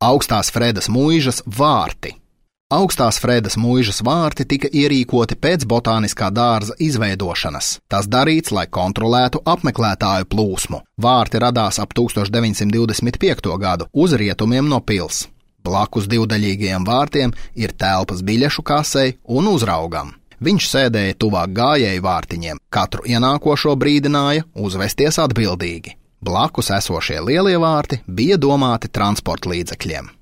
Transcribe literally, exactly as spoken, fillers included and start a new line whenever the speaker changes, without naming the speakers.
Augstās Fredas mūižas vārti. Augstās Fredas mūižas vārti tika ierīkoti pēc botāniskā dārza izveidošanas. Tas darīts, lai kontrolētu apmeklētāju plūsmu. Vārti radās ap tūkstoš deviņsimt divdesmit piekto gadu uz rietumiem no pils. Blakus divdaļīgajiem vārtiem ir telpas biļešu kasei un uzraugam. Viņš sēdēja tuvāk gājēju vārtiņiem, katru ienākošo brīdināja uzvesties atbildīgi. Blakus esošie lielie vārti bija domāti transporta līdzekļiem.